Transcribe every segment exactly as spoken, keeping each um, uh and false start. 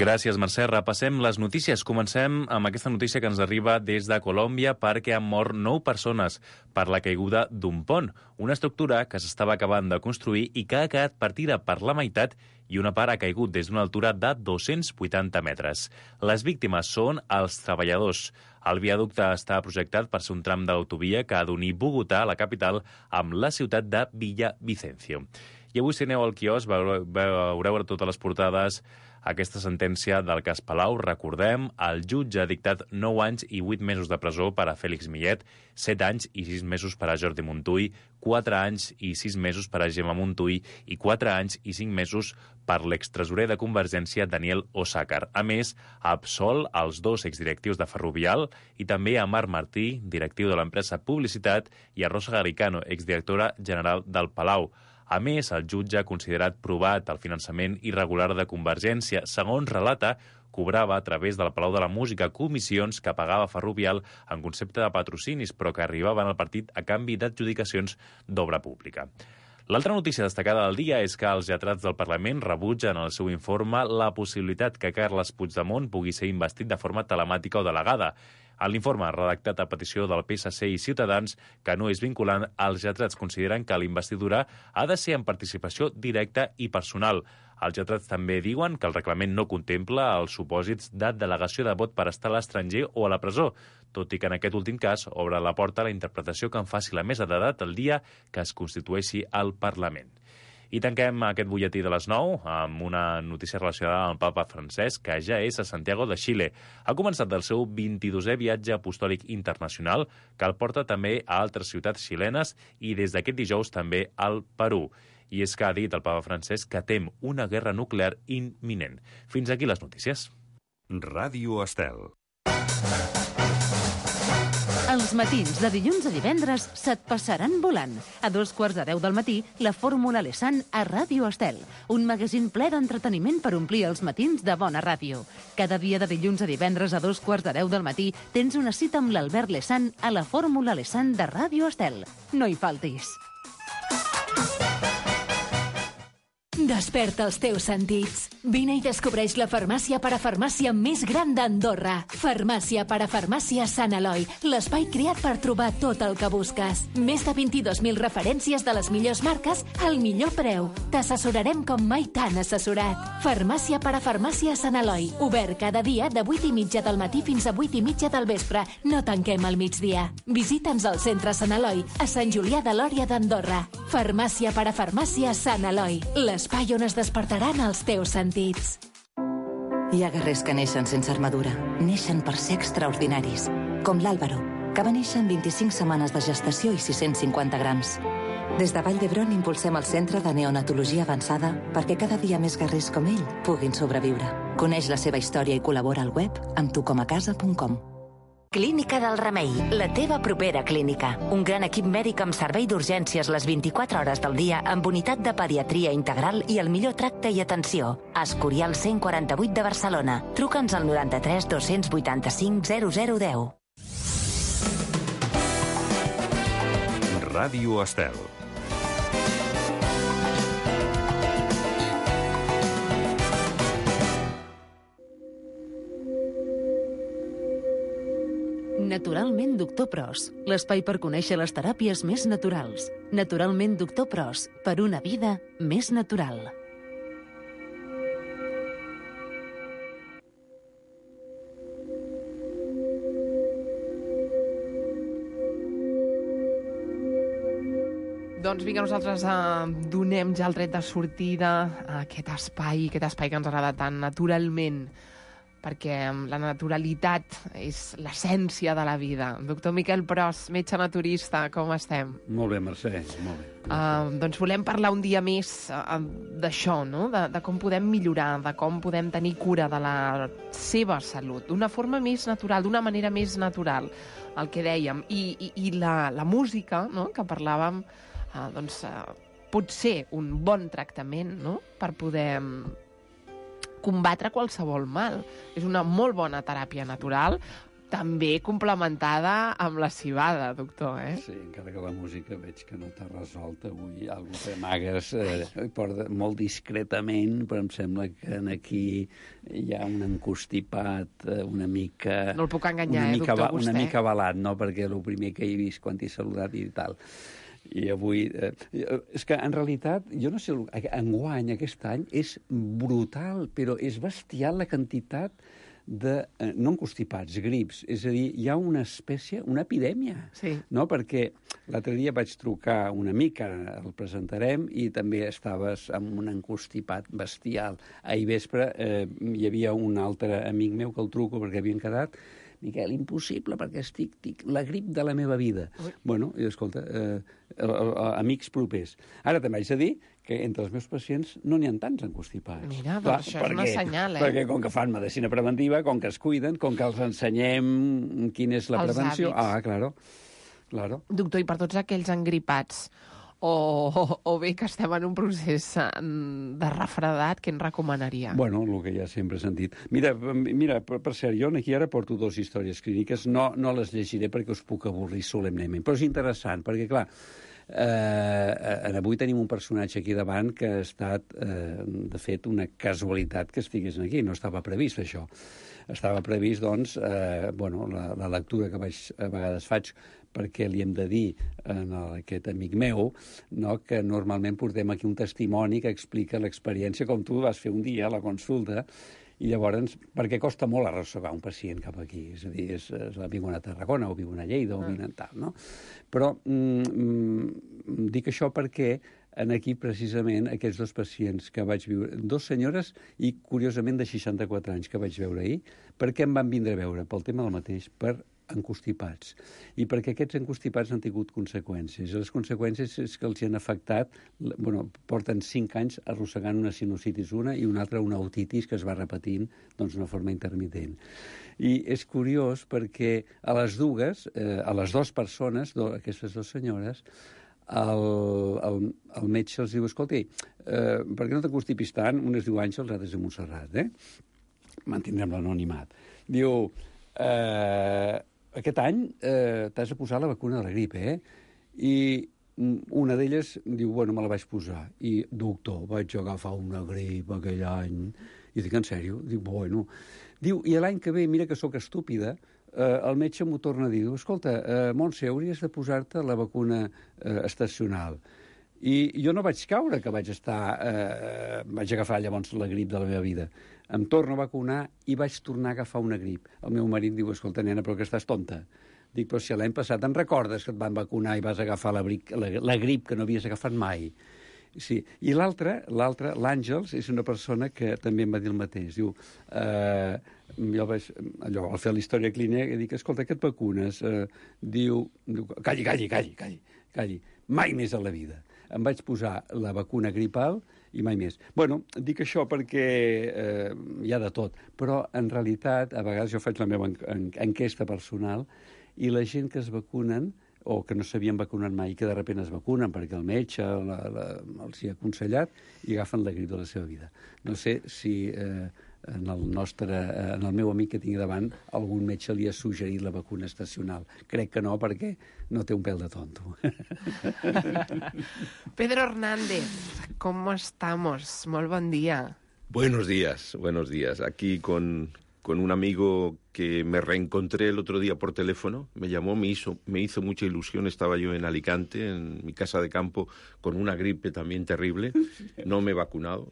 Gràcies, Mercè. Repassem les notícies. Comencem amb aquesta notícia que ens arriba des de Colòmbia perquè han mort nou persones per la caiguda d'un pont, una estructura que s'estava acabant de construir i que ha quedat partida per la meitat i una part ha caigut des d'una altura de dos-cents vuitanta metres. Les víctimes són els treballadors. El viaducte està projectat per ser un tram d'autovia que ha d'unir Bogotà, la capital, amb la ciutat de Villavicencio. I avui, si aneu al quiosc, veureu, veureu totes les portades aquesta sentència del cas Palau. Recordem, el jutge ha dictat nou anys i vuit mesos de presó per a Félix Millet, set anys i sis mesos per a Jordi Montull, quatre anys i sis mesos per a Gemma Montull i quatre anys i cinc mesos per l'extresorer de Convergència, Daniel Osàcar. A més, ha absolt els dos exdirectius de Ferrovial i també a Marc Martí, directiu de l'empresa Publicitat, i a Rosa Garicano, exdirectora general del Palau. A més, el jutge ha considerat provat el finançament irregular de Convergència. Segons relata, cobrava a través del Palau de la Música comissions que pagava Ferrovial en concepte de patrocinis, però que arribaven al partit a canvi d'adjudicacions d'obra pública. L'altra notícia destacada del dia és que els lletrats del Parlament rebutgen en el seu informe la possibilitat que Carles Puigdemont pugui ser investit de forma telemàtica o delegada. En l'informe, redactat a petició del P S C i Ciutadans, que no és vinculant, els lletrats consideren que l'investidura ha de ser en participació directa i personal. Els lletrats també diuen que el reglament no contempla els supòsits de delegació de vot per estar a l'estranger o a la presó, tot i que en aquest últim cas obre la porta a la interpretació que en faci la mesa d'edat el dia que es constitueixi el Parlament. I tanquem aquest butlletí de les nou amb una notícia relacionada amb el papa Francesc, que ja és a Santiago de Xile. Ha començat el seu vint-i-dosè viatge apostòlic internacional, que el porta també a altres ciutats xilenes i des d'aquest dijous també al Perú. I és que ha dit el papa Francesc que tem una guerra nuclear imminent. Fins aquí les notícies. Ràdio Estel. Els matins de dilluns a divendres se't passaran volant. A dos quarts de deu del matí, la Fórmula Lesan a Ràdio Estel. Un magazín ple d'entreteniment per omplir els matins de bona ràdio. Cada dia de dilluns a divendres a dos quarts de deu del matí tens una cita amb l'Albert Lesan a la Fórmula Lesan de Ràdio Estel. No hi faltis. Desperta els teus sentits. Vine i descobreix la farmàcia parafarmàcia més gran d'Andorra. Farmàcia parafarmàcia Sant Eloi, l'espai creat per trobar tot el que busques. Més de vint-i-dos mil referències de les millors marques al millor preu. T'assessorarem com mai t'han assessorat. Farmàcia parafarmàcia Sant Eloi, obert cada dia de vuit i mitja del matí fins a vuit i mitja del vespre. No tanquem al migdia. Visita'ns al centre Sant Eloi, a Sant Julià de Lòria d'Andorra. Farmàcia parafarmàcia Sant Eloi, l'espai on es despertaran els teus sentits. Hi ha guerrers que neixen sense armadura. Neixen per ser extraordinaris. Com l'Àlvaro, que va néixer amb vint-i-cinc setmanes de gestació i sis-cents cinquanta grams. Des de Vall d'Hebron impulsem el Centre de Neonatologia Avançada perquè cada dia més guerrers com ell puguin sobreviure. Coneix la seva història i col·labora al web amb tucomacasa punt com. Clínica del Remei, la teva propera clínica. Un gran equip mèdic amb servei d'urgències les vint-i-quatre hores del dia amb unitat de pediatria integral i el millor tracte i atenció. Escorial cent quaranta-vuit de Barcelona. Truca'ns al noranta-tres dos-cents vuitanta-cinc zero zero deu. Ràdio Estel. Naturalment Doctor Pros, l'espai per conèixer les teràpies més naturals. Naturalment Doctor Pros, per una vida més natural. Doncs vinga, nosaltres eh, donem ja el tret de sortida a aquest espai, aquest espai que ens agrada tant naturalment, perquè la naturalitat és l'essència de la vida. Doctor Miquel Pros, metge naturista, com estem? Molt bé, Mercè, molt bé. Uh, doncs volem parlar un dia més uh, d'això, no? De, de com podem millorar, de com podem tenir cura de la seva salut, d'una forma més natural, d'una manera més natural, el que dèiem. I, i, i la, la música, no?, que parlàvem, uh, doncs uh, pot ser un bon tractament, no?, per poder combatre qualsevol mal. És una molt bona teràpia natural, també complementada amb la cibada, doctor, eh? Sí, encara que la música veig que no t'ha resolt avui. Algú que amagues eh, porta molt discretament, però em sembla que aquí hi ha un encostipat eh, una mica... No el puc enganyar, una eh, mica, doctor, vostè? Una mica avalat, no? Perquè el primer que he vist quan t'he saludat i tal... I avui... Eh, és que, en realitat, jo no sé... Enguany, aquest any, és brutal, però és bestial la quantitat de... Eh, no encostipats, grips. És a dir, hi ha una espècie, una epidèmia. Sí. No? Perquè l'altre dia vaig trucar un amic, ara el presentarem, i també estaves amb un encostipat bestial. Ahir vespre eh, hi havia un altre amic meu que el truco perquè havien quedat... Miquel, impossible, perquè estic, estic la grip de la meva vida. Ui. Bueno, i escolta, eh, eh, eh, amics propers. Ara també haig de dir que entre els meus pacients no n'hi ha tants encostipats. Mira, doncs Clar, això perquè, és una senyal, eh? Perquè com que fan medicina preventiva, com que es cuiden, com que els ensenyem quina és la els prevenció... Hàbits. Ah, claro, claro. Doctor, i per tots aquells engripats o, o, o bé que estem en un procés de refredat, què en recomanaria? Bueno, el que ja sempre he sentit. Mira, mira per, per cert, jo aquí ara porto dues històries clíniques, no, no les llegiré perquè us puc avorrir solemnement, però és interessant, perquè, clar, eh, avui tenim un personatge aquí davant que ha estat, eh, de fet, una casualitat que estigués aquí, no estava previst això. Estava previst, doncs, eh, bueno, la, la lectura que vaig, a vegades faig perquè li hem de dir a aquest amic meu, no, que normalment portem aquí un testimoni que explica l'experiència com tu vas fer un dia a la consulta, i llavors, perquè costa molt arrossegar un pacient cap aquí, és a dir, és, és, viuen a Tarragona, o viuen a Lleida, o viuen a tal, no? Però mm, dic això perquè en aquí, precisament, aquests dos pacients que vaig viure, dos senyores i, curiosament, de seixanta-quatre anys que vaig veure ahir, per què em van vindre a veure? Pel tema del mateix, per encostipats. I perquè aquests encostipats han tingut conseqüències. I les conseqüències és que els hi han afectat, bueno, porten cinc anys arrossegant una sinusitis una i una altra una otitis que es va repetint doncs d'una forma intermitent. I és curiós perquè a les dues, eh, a les dues persones, do, aquestes dues senyores, el, el, el metge els diu, escolta, eh, per què no t'encostipis tant? Un es diu Àngels, l'altre es diu Montserrat, eh? Mantindrem l'anonimat. Diu, eh, aquest any eh, t'has de posar la vacuna de la grip, eh? I una d'elles diu, bueno, me la vaig posar. I, doctor, vaig agafar una grip aquell any. I dic, en sèrio? Dic, bueno. Diu, i l'any que ve, mira que sóc estúpida, eh, el metge m'ho torna a dir, escolta, eh, Montse, hauries de posar-te la vacuna eh, estacional. I jo no vaig caure que vaig estar... Eh, vaig agafar llavors la grip de la meva vida. Em torno a vacunar i vaig tornar a agafar una grip. El meu marit diu, escolta, nena, però que estàs tonta. Dic, però si l'any passat en recordes que et van vacunar i vas agafar la, bric, la, la grip que no havies agafat mai. Sí. I l'altre, l'altre, l'Àngels, és una persona que també em va dir el mateix. Diu, eh, jo vaig, allò, al fer la història clínica, dic, escolta, que et vacunes? Eh, diu, diu, calli, calli, calli, calli, calli, mai més a la vida. Em vaig posar la vacuna gripal i mai més. Bueno, dic això perquè eh, hi ha de tot, però en realitat, a vegades jo faig la meva en, en, enquesta personal i la gent que es vacunen o que no s'havien vacunat mai i que de sobte es vacunen perquè el metge la, la, els hi ha aconsellat i agafen la grip de la seva vida. No sé si eh, en el nostre, en el meu amic que tinc davant algun metge li ha suggerit la vacuna estacional. Crec que no, perquè no té un pèl de tonto. Pedro Hernández, ¿cómo estamos? Molt bon dia. Buenos días, buenos días. Aquí con... con un amigo que me reencontré el otro día por teléfono, me llamó, me hizo, me hizo mucha ilusión, estaba yo en Alicante, en mi casa de campo, con una gripe también terrible, no me he vacunado,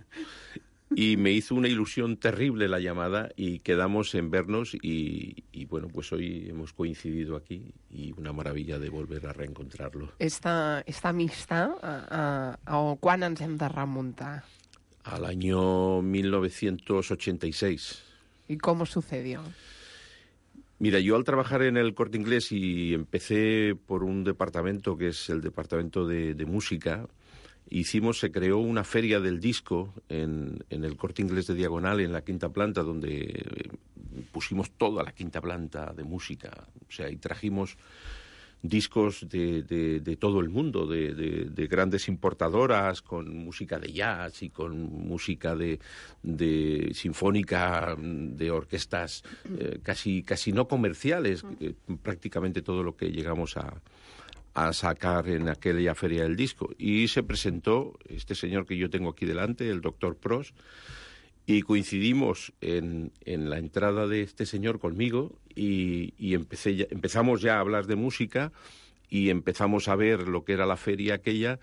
y me hizo una ilusión terrible la llamada y quedamos en vernos y, y bueno, pues hoy hemos coincidido aquí y una maravilla de volver a reencontrarlo. Esta, esta amistat, a, a, a quan ens hem de remuntar? Al año mil novecientos ochenta y seis. ¿Y cómo sucedió? Mira, yo al trabajar en el Corte Inglés y empecé por un departamento que es el departamento de, de música, hicimos, se creó una feria del disco en, en el Corte Inglés de Diagonal, en la quinta planta, donde pusimos toda la quinta planta de música. O sea, y trajimos discos de, de, de todo el mundo, de, de, de grandes importadoras, con música de jazz y con música de, de sinfónica, de orquestas eh, casi, casi no comerciales, eh, prácticamente todo lo que llegamos a, a sacar en aquella feria del disco. Y se presentó este señor que yo tengo aquí delante, el doctor Pros, y coincidimos en, en la entrada de este señor conmigo y, y empecé ya, empezamos ya a hablar de música y empezamos a ver lo que era la feria aquella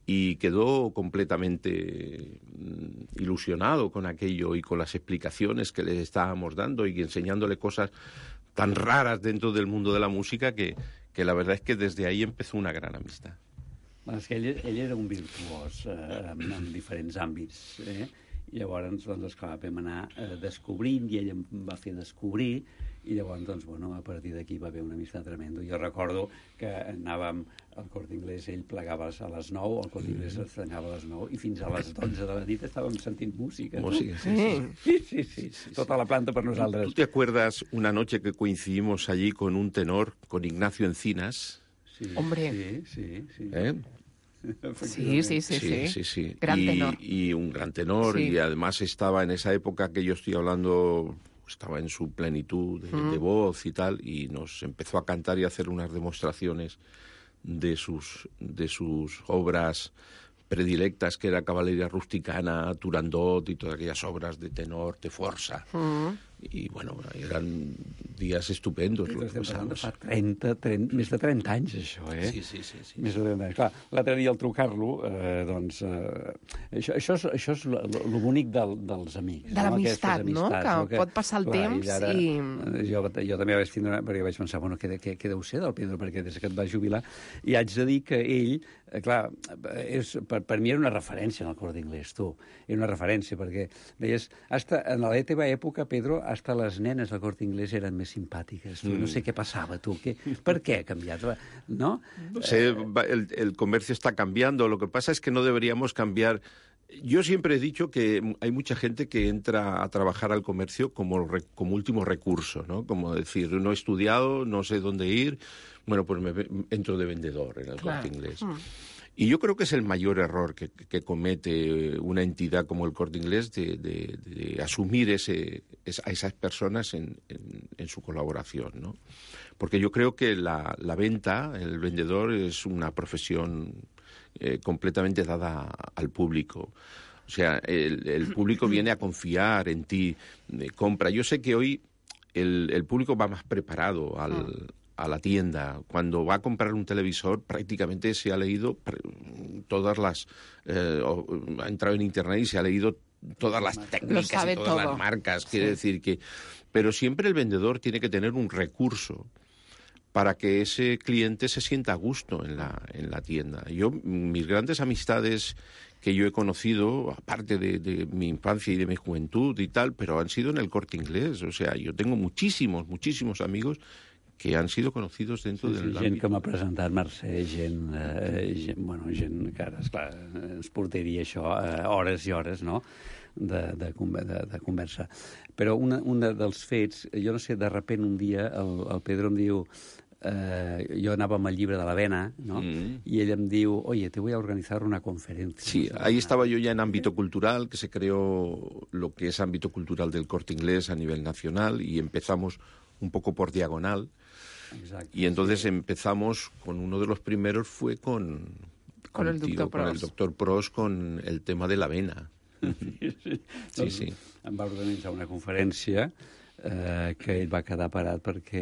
y quedó completamente mm, ilusionado con aquello y con las explicaciones que le estábamos dando y enseñándole cosas tan raras dentro del mundo de la música que, que la verdad es que desde ahí empezó una gran amistad. Bueno, és que ell, ell era un virtuós eh, en, en diferents àmbits, eh? I llavors, doncs, esclar, vam anar eh, descobrint i ell em va fer descobrir i llavors, doncs, bueno, a partir d'aquí va haver una amistat tremenda. Jo recordo que anàvem al Corte Inglés, ell plegava a les nou, el Corte Inglés estrenava a les nou i fins a les dotze de la nit estàvem sentint música. Música, sí, sí. Sí, sí, sí, sí. Tota la planta per nosaltres. ¿Tú te acuerdas una noche que coincidimos allí con un tenor, con Ignacio Encinas? Sí, Hombre. Sí, sí, sí. ¿Eh? Sí, sí, sí, sí. sí, sí. Gran y, tenor. y un gran tenor, Sí. y además estaba en esa época que yo estoy hablando, estaba en su plenitud de, Mm. de voz y tal, y nos empezó a cantar y a hacer unas demostraciones de sus, de sus obras predilectas, que era Caballeria Rusticana, Turandot y todas aquellas obras de tenor, de força. Mm. I, bueno, eren dies estupendos. I Lo que estem parlant de pasamos. fa trenta, trenta, més de trenta anys, això, eh? Sí, sí, sí. sí. Més de trenta anys. Clar, l'altre dia al trucar-lo, eh, doncs, eh, això, això és, això és lo, lo bonic del, dels amics. De l'amistat, Aquestes no? amistats, Que pot passar el temps ara, i- eh, Jo, jo també vaig tindre... Perquè vaig pensar, bueno, què, què, què deu ser del Pedro? Perquè des que et va jubilar... I haig de dir que ell, eh, clar, és, per, per mi era una referència en el Corte Inglés, tu. Era una referència, perquè deies, hasta, en la teva època, Pedro, hasta les nenes del Corte Inglés eren més simpàtiques. Tu. No sé què passava, tu. Què, per què ha canviat? No? No sé, va- el, el comercio está cambiando. Lo que pasa es que no deberíamos cambiar. Yo siempre he dicho que hay mucha gente que entra a trabajar al comercio como, re- como último recurso, ¿no? Como decir, no he estudiado, no sé dónde ir, bueno, pues me ve- entro de vendedor en el Claro. Corte Inglés. Mm. Y yo creo que es el mayor error que, que comete una entidad como el Corte Inglés de, de- de asumir ese, es- a esas personas en, en- en su colaboración, ¿no? Porque yo creo que la, la venta, el vendedor, es una profesión eh, completamente dada al público. O sea, el, el público viene a confiar en ti, eh, compra. Yo sé que hoy el, el público va más preparado al, a la tienda. Cuando va a comprar un televisor, prácticamente se ha leído pre- todas las... eh, o- ha entrado en Internet y se ha leído todas las técnicas sabe y todas todo. las marcas. Quiere Sí. decir que... Pero siempre el vendedor tiene que tener un recurso para que ese cliente se sienta a gusto en la, en la tienda. Yo, mis grandes amistades que yo he conocido, aparte de, de mi infancia y de mi juventud y tal, pero han sido en el Corte Inglés. O sea, yo tengo muchísimos, muchísimos amigos que han sido conocidos dentro Sí, del sí, gent ámbito. que m'ha presentat Mercè, gent, eh, gent, bueno, gent que ara, esclar, ens portaria això eh, hores i hores, no?, de, de, conver- de, de conversa. Però una, un dels fets, jo no sé, de repent un dia el, el Pedro em diu... Eh, jo anava amb el llibre de l'Avena, no? Mm. Y ell em diu, oye, te voy a organizar una conferencia. Sí, ahí estaba yo ya en ámbito cultural, que se creó lo que es ámbito cultural del Corte Inglés a nivel nacional y empezamos un poco por diagonal. Exacte. Y entonces empezamos con uno de los primeros fue con, Con el contigo, doctor con el Pros. doctor Pros con el tema de la avena. Sí, sí. Sí, sí. Em va organitzar una conferència eh, que ell va quedar parat perquè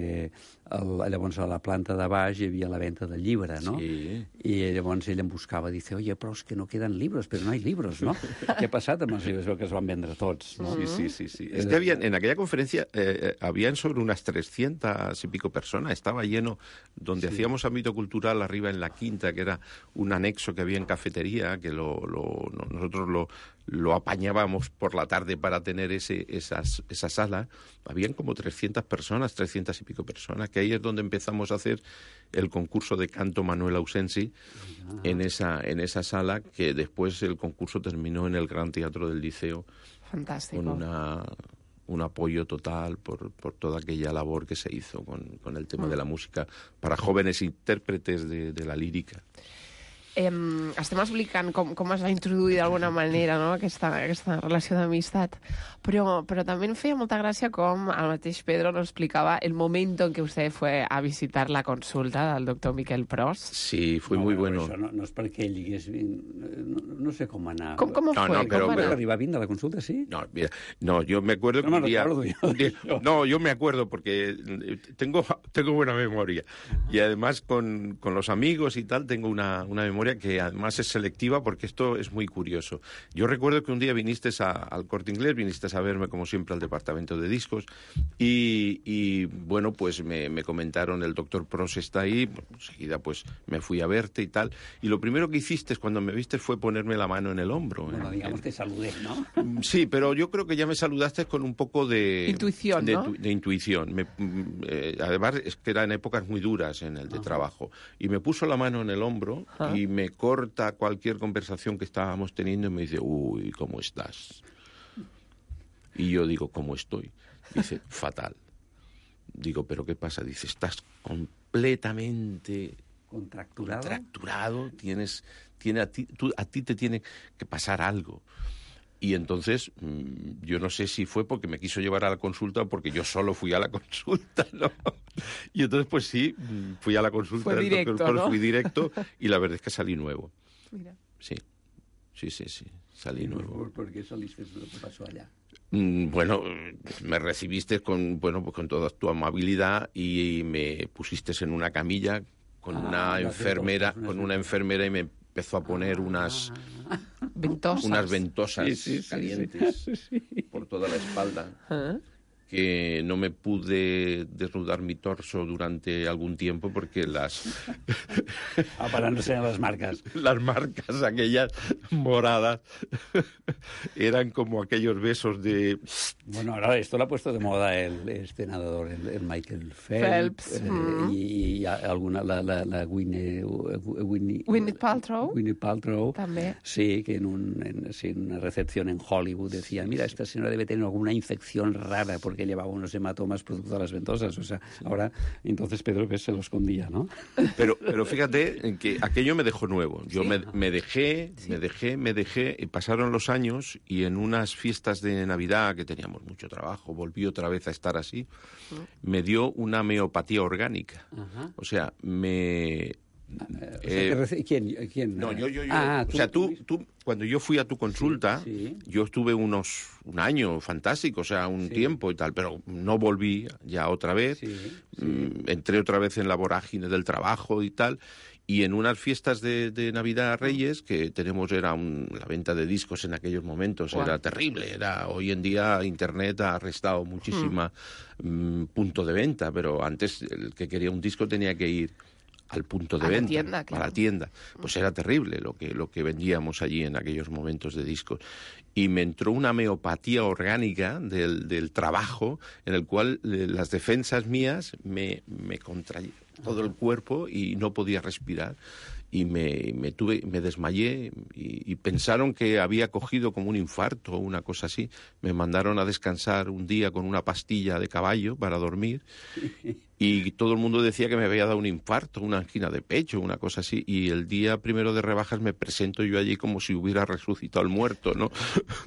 el, llavors a la planta de baix hi havia la venda del llibre, no? Sí. I llavors ell em buscava, dice, oye, però és que no queden libros, però no hay libros, no? Què ha passat amb els llibres? Que es van vendre tots, no? Sí, sí, sí, sí. Es que habían, en aquella conferencia eh, eh, habían sobre unas trescientas y pico personas. Estaba lleno, donde hacíamos ámbito cultural arriba en la quinta, que era un anexo que había en cafetería, que lo, lo- no- nosotros lo, lo apañábamos por la tarde para tener ese, esas, esa sala. Habían como trescientas personas, trescientas y pico personas, que ahí es donde empezamos a hacer el concurso de canto Manuel Ausensi en esa, en esa sala, que después el concurso terminó en el Gran Teatro del Liceo Fantàstic. con una un apoyo total por, por toda aquella labor que se hizo con, con el tema mm. de la música para jóvenes intérpretes de, de la lírica. Eh, estem explicant com, com es va introduir d'alguna manera, no?, aquesta, aquesta relació d'amistat, però, però també em feia molta gràcia com el mateix Pedro nos explicaba el momento en que usted fue a visitar la consulta del doctor Miquel Pros. Sí, fue no, muy bueno. bueno. Això no, no és perquè ell digués... No, no sé com anar. Com, com no, fue? No, pero, ¿Cómo pero, ¿Arriba bien de la consulta, sí? No, mira, no, yo me acuerdo no que me un día, recuerdo yo, un día yo. no, yo me acuerdo porque tengo, tengo buena memoria. Uh-huh. Y además con, con los amigos y tal tengo una, una memoria que además es selectiva porque esto es muy curioso. Yo recuerdo que un día viniste a, al Corte Inglés, viniste a verme como siempre al departamento de discos y, y bueno, pues me, me comentaron el doctor Pros está ahí, enseguida pues me fui a verte y tal. Y lo primero que hiciste cuando me viste fue ponerme la mano en el hombro. Bueno, en, digamos en... te saludé, ¿no? Sí, pero yo creo que ya me saludaste con un poco de... Intuición, de, ¿no? de, de intuición. Me, eh, además, es que eran épocas muy duras en el de uh-huh. trabajo. Y me puso la mano en el hombro uh-huh. y me corta cualquier conversación que estábamos teniendo y me dice, uy, ¿cómo estás? Y yo digo, ¿cómo estoy? Dice, fatal. Digo, ¿pero qué pasa? Dice, estás completamente... Contracturado. Contracturado, tienes, tiene a, ti, tú, a ti te tiene que pasar algo. Y entonces, mmm, yo no sé si fue porque me quiso llevar a la consulta o porque yo solo fui a la consulta, ¿no? Y entonces, pues sí, fui a la consulta fue del directo, doctor, ¿no? Fui directo y la verdad es que salí nuevo. Mira. Sí, sí, sí, sí, salí nuevo. ¿Por, por qué saliste? ¿Lo que pasó allá? Mm, bueno, me recibiste con, bueno, pues con toda tu amabilidad y me pusiste en una camilla con ah, una enfermera, cosas, con una enfermera y me empezó a poner ah, unas ventosas, unas ventosas sí, sí, sí, calientes sí, sí. por toda la espalda. ¿Ah? Que no me pude desnudar mi torso durante algún tiempo porque las... ah, para no ser las marcas. Las marcas, aquellas moradas, eran como aquellos besos de... Bueno, ahora esto lo ha puesto de moda el este nadador, el, el Michael Phelps, Phelps eh, mm. y, y alguna, la, la, la Gwyneth, Gwyneth, Gwyneth Paltrow. Gwyneth Paltrow. También. Sí, que en, un, en, sí, en una recepción en Hollywood decía, mira, esta señora debe tener alguna infección rara porque que llevaba unos hematomas producto de las ventosas. O sea, sí. Ahora, entonces Pedro que se lo escondía, ¿no? Pero, pero fíjate que aquello me dejó nuevo. Yo sí. me, me dejé, sí. me dejé, me dejé, y pasaron los años y en unas fiestas de Navidad que teníamos mucho trabajo, volví otra vez a estar así, uh-huh. me dio una homeopatía orgánica. Uh-huh. O sea, me... Eh, o sea, ¿quién, ¿Quién? No, yo, yo, yo. Ah, o sea, tú, tú, cuando yo fui a tu consulta, sí, sí. yo estuve unos un año fantástico, o sea, un sí. tiempo y tal, pero no volví ya otra vez. Sí, sí. Mm, entré otra vez en la vorágine del trabajo y tal. Y en unas fiestas de, de Navidad Reyes, que tenemos, era un, la venta de discos en aquellos momentos, wow. era terrible. Era, hoy en día Internet ha arrestado muchísima mm. Mm, punto de venta, pero antes el que quería un disco tenía que ir al punto de a venta, la tienda, claro. a la tienda. Pues era terrible lo que, lo que vendíamos allí en aquellos momentos de discos. Y me entró una homeopatía orgánica del, del trabajo, en el cual eh, las defensas mías me, me contrayeron todo el cuerpo y no podía respirar. Y me, me, tuve, me desmayé y, y pensaron que había cogido como un infarto o una cosa así. Me mandaron a descansar un día con una pastilla de caballo para dormir y todo el mundo decía que me había dado un infarto, una angina de pecho, una cosa así. Y el día primero de rebajas me presento yo allí como si hubiera resucitado el muerto, ¿no?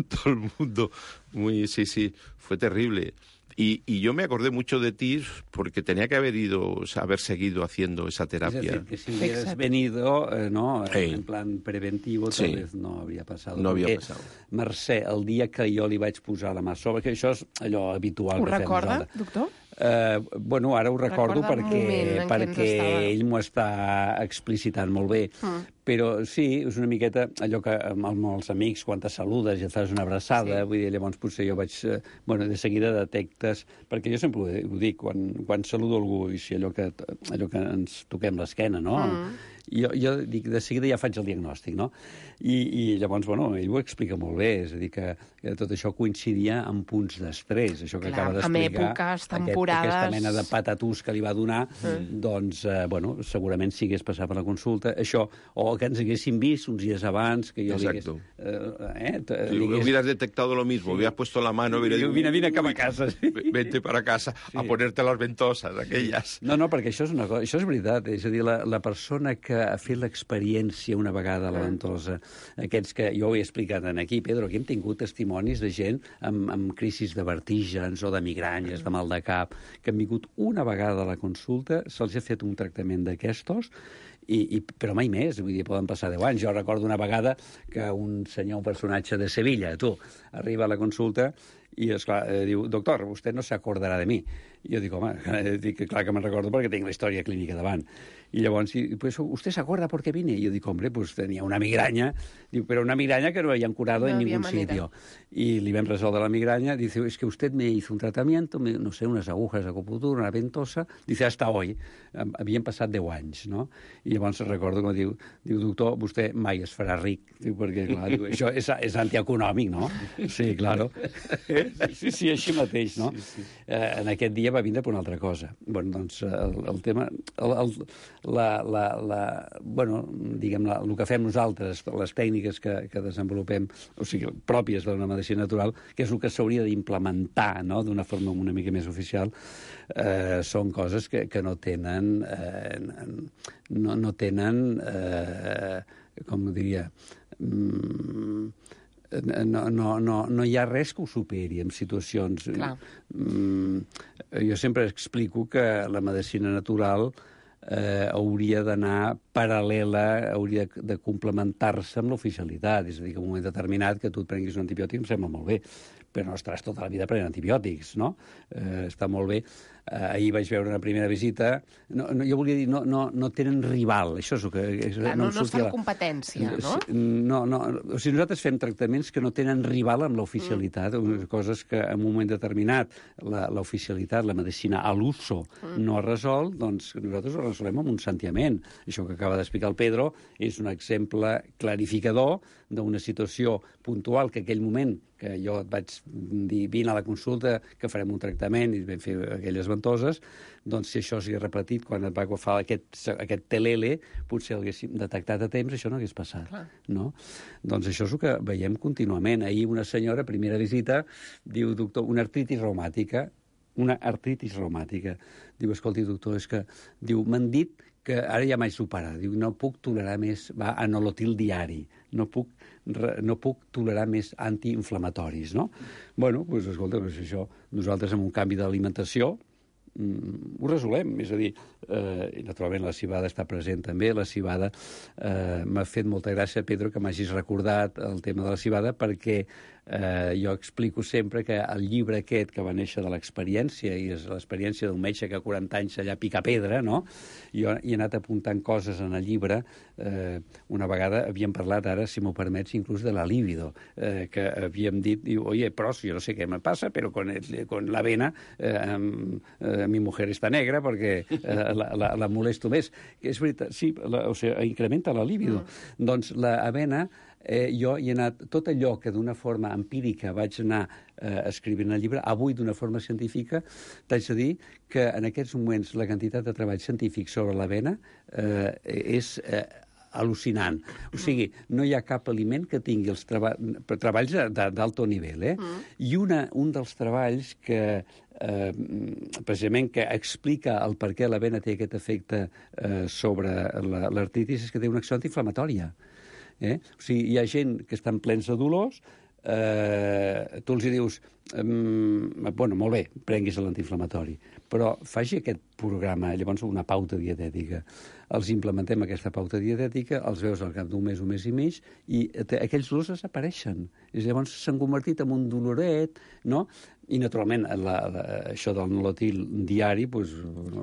Todo el mundo, muy, sí, sí, fue terrible. Y, y yo me acordé mucho de ti porque tenía que haber ido, o sea, haber seguido haciendo esa terapia. Es decir, que si hubieras Exacto. venido, eh, no, sí. en plan preventivo, tal sí. vez no habría passat. No havia passat. Mercè, el dia que jo li vaig posar la mà sobre, que això és allò habitual ho que fem recorda, nosaltres. doctor? Uh, bueno, ara ho recordo Recorda perquè, perquè ell m'ho està explicitant molt bé. Mm. Però sí, és una miqueta allò que amb, amb els amics, quan te saludes i et fas una abraçada, sí. vull dir, llavors potser jo vaig... Eh, bueno, de seguida detectes... Perquè jo sempre ho, ho dic, quan, quan saludo algú, i si allò que, allò que ens toquem l'esquena, no? Mm. jo, jo dic, de seguida ja faig el diagnòstic, no? I, i llavors, bueno, ell ho explica molt bé, és a dir, que, que tot això coincidia amb punts d'estrès, això que Clar, acaba d'explicar, amb èpoques, aquest, temporades... aquesta mena de patatús que li va donar, mm. doncs, eh, bueno, segurament si hagués passat per la consulta, això, o que ens haguéssim vist uns dies abans, que jo Exacto. li hagués... Eh, eh, si li hagués... hubieras detectado lo mismo, sí. hubieras puesto la mano, hubieras dit... Vine, vine cap a casa. Sí. Vente para casa sí. a ponerte las ventosas, aquelles. No, no, perquè això és una cosa, això és veritat, és a dir, la, la persona que ha fet l'experiència una vegada a la ventosa, aquests que jo ho he explicat en aquí, Pedro, aquí hem tingut testimonis de gent amb, amb crisis de vertígens o de migranyes, de mal de cap, que han vingut una vegada a la consulta, se'ls ha fet un tractament d'aquestos, I, i, però mai més, vull dir, poden passar deu anys. Jo recordo una vegada que un senyor, un personatge de Sevilla, tu, arriba a la consulta i, esclar, eh, diu, doctor, vostè no s'acordarà de mi. I jo dic, home, dic, clar que me'n recordo perquè tinc la història clínica davant. I llavors, pues, ¿usted se acuerda por qué vine? Y yo digo, hombre, pues tenía una migraña. Digo, pero una migraña que no habían curado no en ningún manera. Sitio. Y le vam resoldre la migraña. Dice, es que usted me hizo un tratamiento, me, no sé, unas agujas de acupuntura, una ventosa. Dice, hasta hoy. Havien passat deu anys, no? I llavors recordo que diu, diu, doctor, vostè mai es farà ric. Diu, perquè, clar, diu, això és, és antieconòmic, no? Sí, claro. Sí, sí, així mateix, no? Sí, sí. Eh, en aquest dia va vindre per una altra cosa. Bueno, doncs, el, el tema... El, el, La, la, la, bueno, diguem, la, el que fem nosaltres, les tècniques que, que desenvolupem, o sigui, pròpies d'una medicina natural, que és el que s'hauria d'implementar, no?, d'una forma una mica més oficial, eh, són coses que, que no tenen, eh, no, no tenen, eh, com diria, mm, no, no, no, no hi ha res que ho superi en situacions... Clar. Mm, jo sempre explico que la medicina natural Eh, hauria d'anar paral·lela, hauria de complementar-se amb l'oficialitat. És a dir, que en un moment determinat que tu et prenguis un antibiòtic em sembla molt bé, però no estaràs tota la vida prenent antibiòtics, no? Eh, està molt bé. Eh, ahir vaig veure una primera visita. No, no, jo volia dir, no, no, no tenen rival, això és el que... És, Clar, no, no, no estan en competència, no? No, no. O sigui, nosaltres fem tractaments que no tenen rival amb l'oficialitat, mm. coses que en un moment determinat l'oficialitat, la, la medicina a l'uso mm. no ha resolt, doncs nosaltres ho resolem amb un santiament. Això que acaba d'explicar el Pedro és un exemple clarificador d'una situació puntual que aquell moment que jo et vaig dir, vine a la consulta, que farem un tractament i vam fer aquelles ventoses, doncs si això s'hi ha repetit quan et va agafar aquest, aquest telele, potser l'haguéssim detectat a temps, això no hagués passat. Clar. No? Doncs això és el que veiem contínuament. Ahir una senyora, primera visita, diu, doctor, una artritis reumàtica, una artritis reumàtica. Diu, escolti, doctor, és que, diu, m'han dit que ara ja m'haig superat. Diu, no puc tolerar més va, anolotil diari, no puc, no puc tolerar més antiinflamatoris, no? Bueno, doncs, escolta, doncs això, nosaltres amb un canvi d'alimentació mm, ho resolem, és a dir, eh, i naturalment la civada està present també, la civada eh, m'ha fet molta gràcia, Pedro, que m'hagis recordat el tema de la civada, perquè eh, jo explico sempre que el llibre aquest que va néixer de l'experiència, i és l'experiència d'un metge que a quaranta anys allà pica pedra, no? Jo he anat apuntant coses en el llibre. Eh, una vegada havíem parlat, ara, si m'ho permets, inclús de la libido, eh, que havíem dit, diu, oye, però jo no sé què me passa, però con, el, con la vena eh, eh, mi mujer està negra perquè eh, la, la, la molesto més. És veritat, sí, la, o sigui, incrementa la libido. Mm. Doncs la avena, eh, jo hi he anat, tot allò que d'una forma empírica vaig anar eh, escrivint al llibre, avui d'una forma científica, t'haig de dir que en aquests moments la quantitat de treball científic sobre l'avena eh, és eh, al·lucinant. O sigui, no hi ha cap aliment que tingui els treba treballs d'alto nivell, eh? Mm. I una, un dels treballs que eh, precisament que explica el per què l'avena té aquest efecte eh, sobre l'artritis és que té una acció antiinflamatòria. Eh? O sigui, hi ha gent que estan plens de dolors, eh, tu els hi dius, mm, bueno, molt bé, prenguis l'antiinflamatori, però faci aquest programa, llavors una pauta dietètica. Els implementem aquesta pauta dietètica, els veus al cap d'un mes, un mes i mig, i aquells dolors desapareixen. I llavors s'han convertit en un doloret, no? I, naturalment, la, la, això del nolotil diari pues,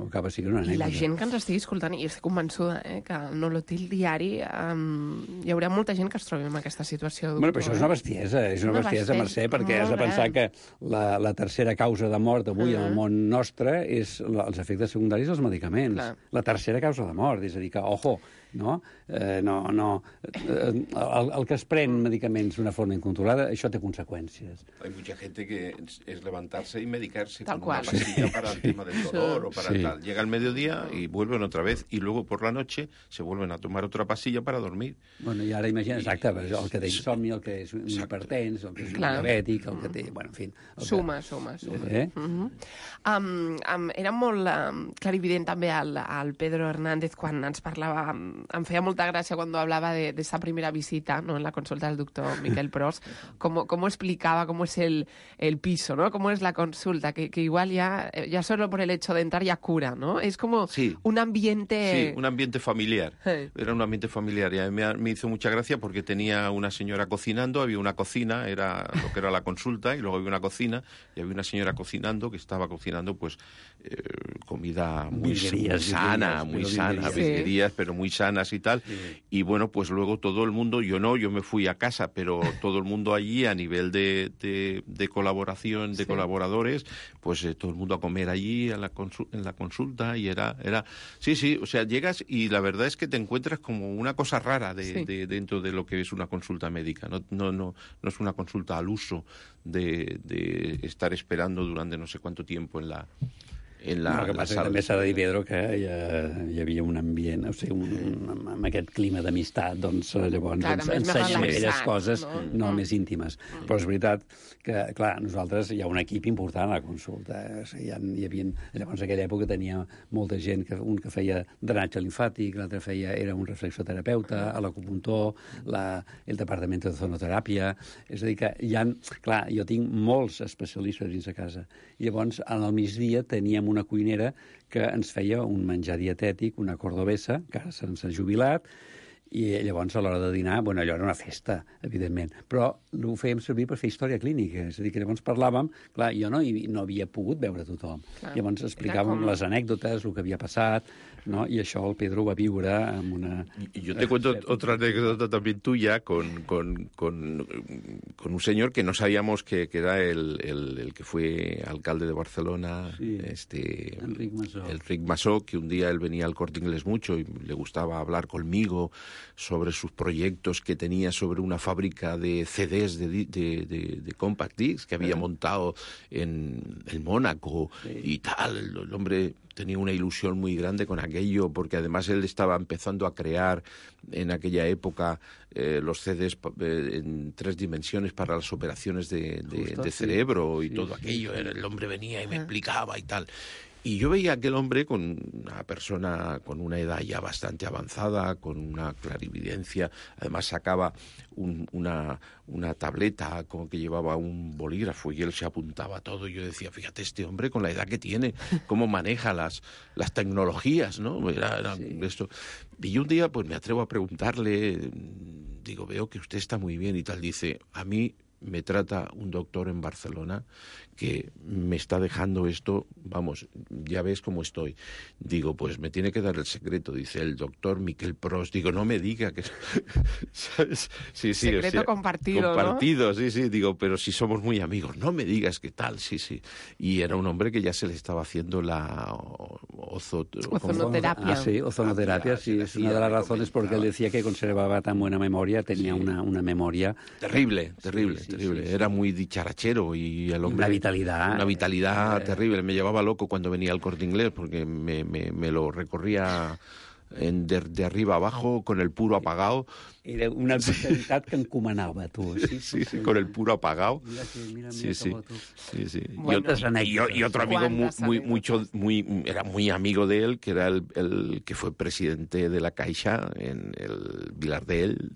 acaba sent una anècdota. I la gent que ens estigui escoltant, i estic convençuda eh, que el nolotil diari um, hi haurà molta gent que es trobi en aquesta situació. Bueno, però això és una bestiesa, és una, una bestiesa, Mercè, perquè has de pensar gran. que la, la tercera causa de mort avui uh -huh. en el món nostre és la, els efectes secundaris dels medicaments. Clar. La tercera causa de mort, és a dir que, ojo, no? Eh, no, no. Eh, el, el que es pren medicaments d'una forma incontrolada, això té conseqüències. Hay mucha gente que es, es levantarse y medicarse Tal con cual. una pastilla para el tema del dolor o para Sí. tal. Llega el mediodía y vuelven otra vez y luego por la noche se vuelven a tomar otra pastilla para dormir. Bueno, i ara imagina, exacte, el que té insomni, el que és un Exacte. hipertens, el que és un Clar. diabètic, el que té... Bueno, en fi... el que- Suma, suma, suma. Eh? Uh -huh. um, um, era molt um, clarivident també el, el Pedro Hernández quan ens parlava, um, em feia molta gràcia quan hablaba de, de esa primera visita, ¿no?, en la consulta del doctor Miquel Pros, cómo, cómo explicaba cómo es el, el piso, ¿no?, cómo es la consulta, que, que igual ya, ya solo por el hecho de entrar ya cura, ¿no? Es como Sí. un ambiente... Sí, un ambiente familiar. Sí. Era un ambiente familiar y a mí me, me hizo mucha gracia porque tenía una señora cocinando, había una cocina, era lo que era la consulta, y luego había una cocina y había una señora cocinando que estaba cocinando pues eh, comida muy, Virguerías, muy sana, virguerías, muy pero sana, virguerías. virguerías, pero muy sanas y tal. Sí. Y bueno, pues luego todo el mundo, yo no, yo me fui a casa, pero todo el mundo allí a nivel de, de, de colaboración, de Sí. colaboradores, pues eh, todo el mundo a comer allí a la consu- en la consulta y era, era, sí, sí, o sea, llegas y la verdad es que te encuentras como una cosa rara de, Sí. de- dentro de lo que es una consulta médica, no, no, no, no es una consulta al uso de, de estar esperando durante no sé cuánto tiempo en la en la, No, el que la passa que sala. també s'ha de dir, Pedro, que hi, ha, hi havia un ambient, o sigui, un, amb, amb aquest clima d'amistat, doncs eh, llavors Clar, ens també és més ensenyen aquelles relaxat, coses no? no, Mm. més íntimes. Però és veritat que, clar, nosaltres hi ha un equip important a la consulta. Eh? O sigui, hi, ha, hi havia, llavors, en aquella època tenia molta gent, que un que feia drenatge limfàtic, l'altre feia, era un reflexoterapeuta, a l'acupuntor, la, el departament de zonoteràpia. És a dir, que hi ha, clar, jo tinc molts especialistes dins de casa. I llavors, al migdia teníem una cuinera que ens feia un menjar dietètic, una cordobesa, que ara se'ns ha jubilat, i llavors a l'hora de dinar, bueno, allò era una festa, evidentment, però ho fèiem servir per fer història clínica, és a dir, que llavors parlàvem, clar, jo no, hi, no havia pogut veure tothom, Clar. llavors explicàvem com- les anècdotes, el que havia passat, no? I això el Pedro ho va viure amb una... Y yo te cuento otra anécdota también tuya con, con, con, con un señor que no sabíamos que, que era el, el, el que fue alcalde de Barcelona, Sí. este Enric Masó. Enric Masó, que un día él venía al Corte Inglés mucho y le gustaba hablar conmigo sobre sus proyectos que tenía sobre una fábrica de C Ds de, di- de, de, de compact discs que había montado en, en Mónaco y tal. El, el hombre tenía una ilusión muy grande con aquello, porque además él estaba empezando a crear en aquella época eh, los C Ds pa- eh, en tres dimensiones para las operaciones de, de- Justo, de sí. cerebro y Sí, todo sí, aquello. sí. Era- El hombre venía y me explicaba y tal. Y yo veía a aquel hombre con una persona con una edad ya bastante avanzada, con una clarividencia, además sacaba un- una, una tableta con que llevaba un bolígrafo y él se apuntaba todo. Y yo decía, fíjate, este hombre con la edad que tiene, cómo maneja las, las tecnologías, ¿no? Era, era Sí. esto. Y yo un día pues me atrevo a preguntarle, digo, veo que usted está muy bien y tal. Dice, a mí me trata un doctor en Barcelona que me está dejando esto, vamos, ya ves cómo estoy. Digo, pues me tiene que dar el secreto, dice el doctor Miquel Pros. Digo, no me diga que... ¿Sabes? Sí, sí, Secreto compartido, ¿no? Compartido, sí, sí. Digo, pero si somos muy amigos, no me digas qué tal, sí, sí. Y era un hombre que ya se le estaba haciendo la ozo... Ozonoterapia. Ah, sí, ozonoterapia, sí, Ah, es sí, una de ya las me razones porque él comentaba. decía que conservaba tan buena memoria, tenía Sí. una, una memoria... Terrible, terrible, Sí, sí, terrible. sí, sí. Era muy dicharachero y el hombre... Una vitalidad. Una vitalidad Eh, terrible. Me llevaba loco cuando venía al Corte Inglés porque me, me, me lo recorría en, de, de arriba abajo con el puro apagado. Era una vitalitat que encomanava, tu. Sí, Sí, sí, con el puro apagado. Mira, que, mira, mira Sí, sí, com tu. sí, sí. Y Bueno. otras anécdotas. Y, y otro amigo muy, Cuántas muy, anécdotas. mucho, muy, era muy amigo de él, que era el, el que fue presidente de la Caixa en el Vilar de él.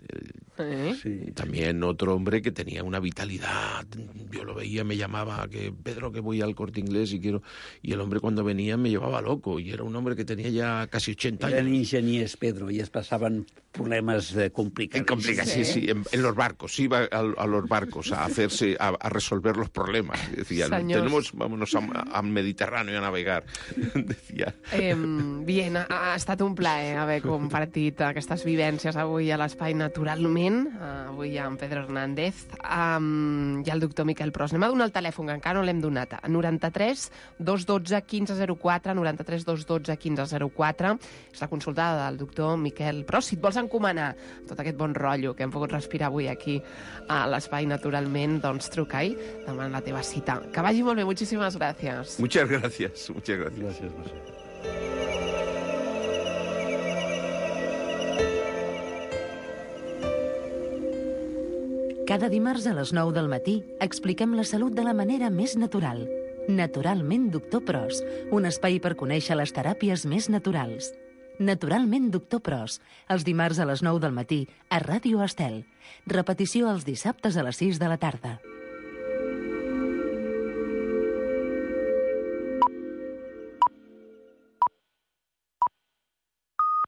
¿Eh? Sí. También otro hombre que tenía una vitalidad. Yo lo veía, me llamaba, que Pedro, que voy al Corte Inglés y quiero... Y el hombre cuando venía me llevaba loco. Y era un hombre que tenía ya casi ochenta Eren años. ingeniers, Pedro, i es passaven problemes eh, complicats. Complica, sí, sí, en, en los barcos, iba a, a los barcos a hacerse, a, a resolver los problemas. Decían, Señor. tenemos, vámonos a- al Mediterráneo a navegar. Decía. Eh, bien, ha, ha estat un plaer haver compartit aquestes vivències avui a l'Espai Natural. Només naturalment, uh, avui hi ha en Pedro Hernández, um, i el doctor Miquel Pros. Anem a donar el telèfon, que encara no l'hem donat. noranta-tres dos dotze quinze zero quatre, noranta-tres dos dotze quinze zero quatre. És la consulta del doctor Miquel Pros. Si et vols encomanar tot aquest bon rotllo que hem pogut respirar avui aquí a l'Espai Naturalment, doncs truca-hi, demana la teva cita. Que vagi molt bé, moltíssimes gràcies. Muchas gracias, muchas gracias. Gràcies, Mercè. Cada dimarts a les nou del matí expliquem la salut de la manera més natural. Naturalment, doctor Pros, un espai per conèixer les teràpies més naturals. Naturalment, doctor Pros, els dimarts a les nou del matí a Ràdio Estel. Repetició els dissabtes a les sis de la tarda.